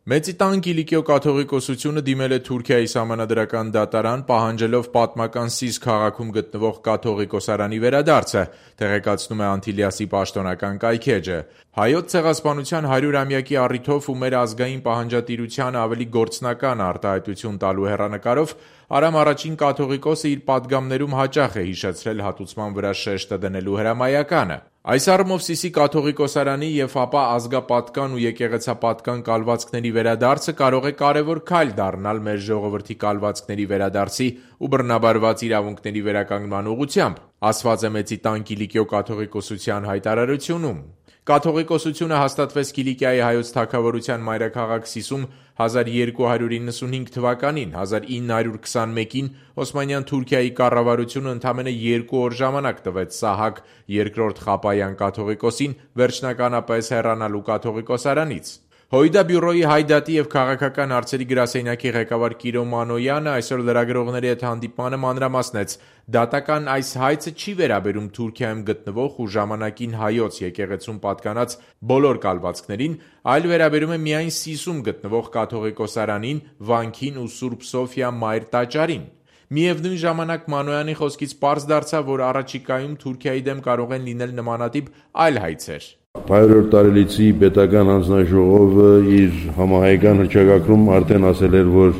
Մեծի տան Կիլիկիո կաթողիկոսությունը դիմել է Թուրքիայի սահմանադրական դատարան, պահանջելով պատմական Սիս քաղաքում գտնվող կաթողիկոսարանի վերադարձը, տեղեկացնում է Անտիլիասի պաշտոնական կայքէջը։ Հայոց ցեղասպանության 100-ամյակի առիթով ու մեր ազգային պահանջատիրությանը ավելի գործնական արտահայտություն տալու հեռանկարով Արամ առաջին կաթողիկոսը իր պատգամներում հաճախ է հիշեցրել հատուցման վրա շեշտը դնելու հրամայականը։ Այս առումով Սիսի կաթողիկոսարանի և ապա ազգապատկան ու եկեղեցապատկան կալվածքների վերադարձը կարող է կարևոր քայլ դառնալ մեր ժողովրդի կալվածքների վերադարձի ու բռնաբարված իրավունքների վերականգնման ուղղությամբ, ասված է Մեծի տան Կիլիկիո կաթողիկոսության հայտարարությունում։ Կաթողիկոսությունը հաստատվեց Կիլիկիայի հայոց թագավորության մայրաքաղաք Սիսում 1295 թվականին, 1921-ին Օսմանյան Թուրքիայի կառավարությունը ընդամենը 2 օր ժամանակ տվեց Սահակ II Խապայան կաթողիկոսին վերջնականապես հեռանալու կաթողիկոսարանից։ Հոյդա բյուրոյի հայդատի և քաղաքական հարցերի գրասենյակի ղեկավար Կիրո Մանոյանը այսօր լրագրողների հետ հանդիպմանը մանրամասնեց. դատական այս հայցը չի վերաբերում Թուրքիայում գտնվող ու ժամանակին հայոց եկեղեցուն պատկանած բոլոր կալվածքներին, այլ վերաբերում է միայն Սիսում գտնվող կաթողիկոսարանին, վանքին ու Սուրբ Սոֆիա Մայր տաճարին։ Միևնույն ժամանակ Մանոյանի խոսքից պարզ դարձավ, որ առաջիկայում Թուրքիայի դեմ կարող են լինել նմանատիպ այլ հայցեր։ 100 տարելիցի պետական հանձնաժողովը իր համահայկան հռչակագրում արդեն ասել էր, որ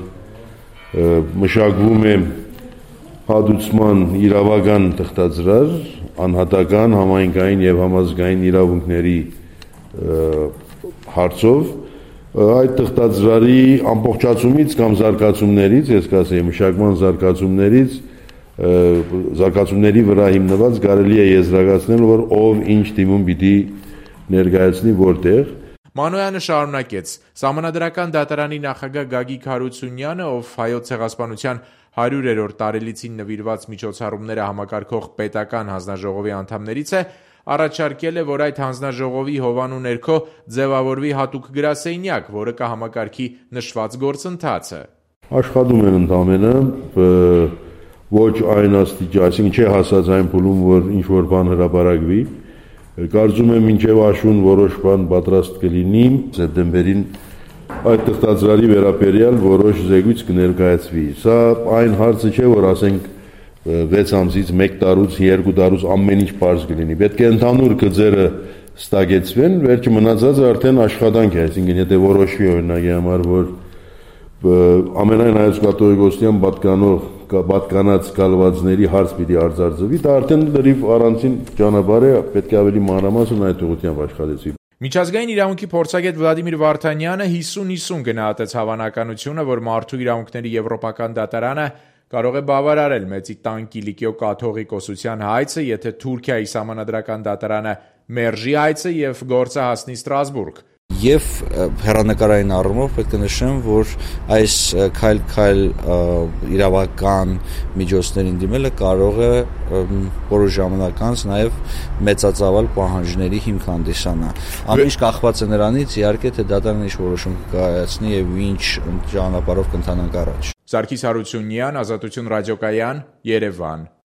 մշակվում է հատուցման իրավական թղթածրար, անհատական, համայնքային և համազգային իրավունքների հարցով, այդ թղթածրարի ամբողջացումից կամ զարգացումներից, ես կասեի մշակման զարգացումների վրա հիմնված կարելի է եզրակացնել, որ ով ինչ դիմում պիտի ներկայացնի որտեղ։ Մանոյանը շարունակեց. Սահմանադրական դատարանի նախագահ Գագիկ Հարությունյանը, ով հայոց ցեղասպանության 100-րդ տարելիցին նվիրված միջոցառումները համակարգող պետական հանձնաժողովի անդամներից է, առաջարկել է, որ այդ հանձնաժողովի հովանու ներքո ձևավորվի հատուկ գրասենյակ, որը կհամակարգի նշված գործընթացը։ Աշխատում են ընդամենը ոչ այն աստիճան, այսինքն չի հասած այն փուլում, որ ինչ-որ բան հրապարակվի։ Կարծում եմ մինչև աշուն որոշ բան պատրաստ կլինի, սեպտեմբերին այդ թղթածրարի վերաբերյալ որոշ զեկույց կներկայացվի։ Սա այն հարցը չէ, որ ասենք 6 ամսից, 1 տարուց, 2 տարուց ամեն ինչ պարզ կլինի։ Պետք է ընդհանուր գծերը ստագեցվեն, վերջը մնացածը արդեն աշխատանք է, այսինքն եթե որոշվի օրինակի համար, որ ամենայն հայոց կաթողիկոսության պատկանած կալվածների հարց պիտի արձարծվի, դա արդեն լրիվ առանցին ճանապարհ է, պետք է ավելի մանրամասն այդ ուղղությամբ աշխատեցվի։ Միջազգային իրավունքի փորձագետ Վլադիմիր Վարդանյանը 50-50 գնահատեց հավանականությունը, որ Մարդու իրավունքների եվրոպական դատարանը կարող է բավարարել Մեծի տան Կիլիկիո կաթողիկոսության հայցը, եթե Թուրքիայի սահմանադրական դատարանը մերժի հայցը և գործը հասնի Ստրասբուրգ։ Եվ հեռանկարային առումով պետք է նշեմ, որ այս քայլ իրավական միջոցներին դիմելը կարող է որոշ ժամանակ անց նաև մեծածավալ պահանջների հիմք հանդիսանալ։ Ամեն ինչ կախված է նրանից, իհարկե, թե դատարանը ինչ որոշում կկայացնի եւ ինչ ճանապարհով կընթանանք առաջ։ Սարգիս Հարությունյան, Ազատություն ռադիոկայան, Երևան։